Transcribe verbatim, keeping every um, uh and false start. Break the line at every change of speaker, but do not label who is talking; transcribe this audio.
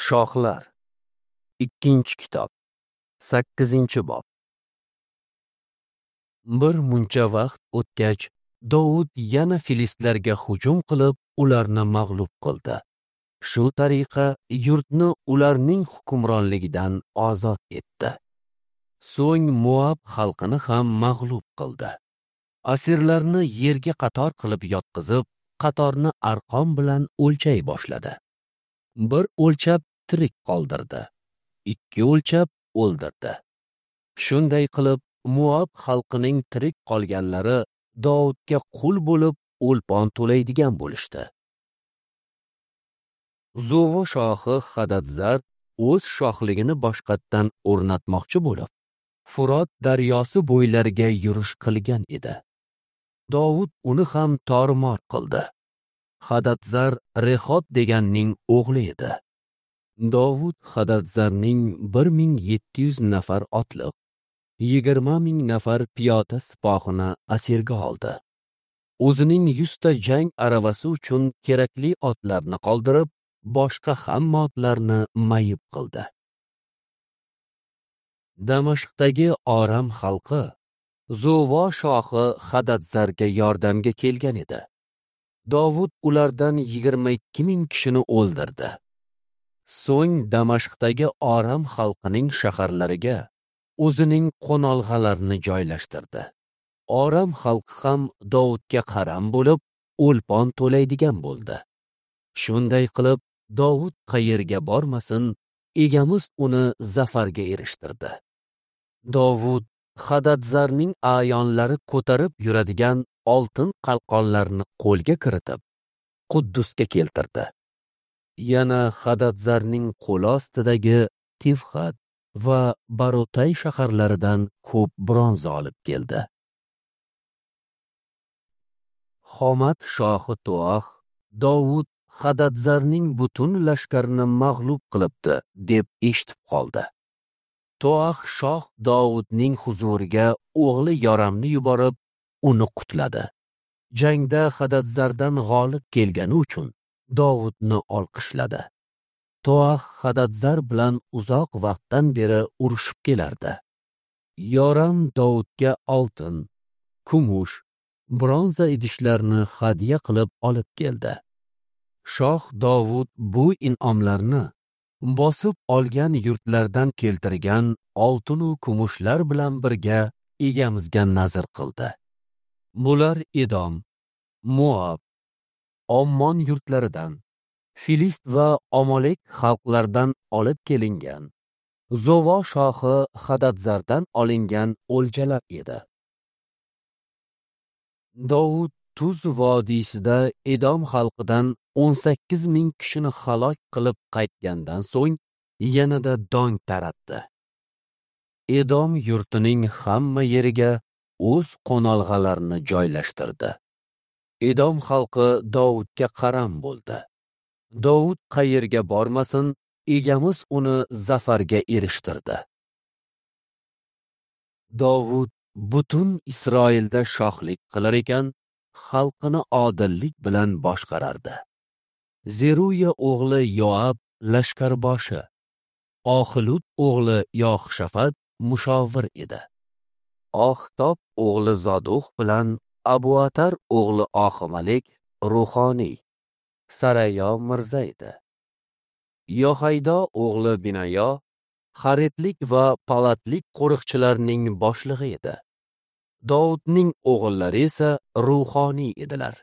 Shohlar. Ikkinchi kitob. Sakkizinchi bob. Bir muncha vaqt o'tgach, Dovud yana filistlarga hujum qilib, ularni mag'lub qildi. Shu tariqa yurtni ularning hukmronligidan ozod etdi. So'ng Moab xalqini ham mag'lub qildi. Asirlarni yerga qator qilib yotqizib, qatorni arqon bilan o'lchay boshladi. Bir o'lchab tirik qoldirdi, ikki o'lchab o'ldirdi. Shunday qilib Moab xalqining tirik qolganlari Dovudga qul bo'lib o'lpon to'laydigan bo'lishdi. Zovo shohi Hadadzar o'z shohligini boshqatdan o'rnatmoqchi bo'lib, Furot daryosi bo'ylariga yurish qilgan edi. Dovud uni ham tormor qildi. Hadadzar Rehob deganning o'g'li edi. Dovud Hadadzarning bir ming yetti yuz nafar otliq, yigirma ming nafar piyoda sipohini asirga oldi. O'zining yuzta jang aravasi uchun kerakli otlarni qoldirib, boshqa hamma otlarni mayib qildi. Damashqdagi Oram xalqi Zovo shohi Hadadzarga yordamga kelgan edi. Dovud ulardan yigirma ikki ming kishini o'ldirdi. So'ng Damashqdagi Oram xalqining shaharlariga o'zining qo'nolg'alarini joylashtirdi. Oram xalqi ham Dovudga qaram bo'lib, o'lpon to'laydigan bo'ldi. Shunday qilib, Dovud qayerga bormasin, egamiz uni zafarga erishtirdi. Dovud Hadadzarning a'yonlari ko'tarib yuradigan oltin qalqonlarni qo'lga kiritib, Quddusga keltirdi. Yana Hadadzarning qo'li ostidagi Tivxat va Barotay shaharlaridan ko'p bronza olib keldi. Xomat shohi To'ax Dovud Hadadzarning butun lashkarini mag'lub qilibdi deb eshitib qoldi. To'ax shoh Dovudning huzuriga o'g'li Yoramni yuborib, uni qutladi. Jangda Hadadzardan g'olib kelgani uchun Dovudni olqishladi. To'ax Hadadzar bilan uzoq vaqtdan beri urushib kelardi. Yoram Dovudga oltin, kumush, bronza idishlarni hadya qilib olib keldi. Shoh Dovud bu in'omlarni bosib olgan yurtlardan keltirgan oltin u kumushlar bilan birga egamizga nazr qildi. Bular Edom, Moab, Ommon yurtlaridan, Filist va Omolek xalqlaridan olib kelingan, Zovo shohi Hadadzardan olingan o'ljalar edi. Dovud Tuz vodiysida Edom xalqidan o'n sakkiz ming kishini halok qilib qaytgandan so'ng yanada dong taratdi. Edom yurtining hamma yeriga o'z qo'nolg'alarini joylashtirdi. Edom xalqi Dovudga qaram bo'ldi. Dovud qayerga bormasin, egamiz uni zafarga erishtirdi. Dovud butun Isroilda shohlik qilar ekan, xalqini odillik bilan boshqarardi. Zeruya o'g'li Yoab lashkarboshi, Oxilud o'g'li Yoxshafat mushovir edi. Oxtob o'g'li Zoduh bilan Abuatar o'g'li Oximalik ruhoniy, Sarayo mirza edi. Yohaydo o'g'li Binayo Xaretlik va Palatlik qo'riqchilarning boshlig'i edi. Dovudning o'g'illari esa ruhoniy edilar.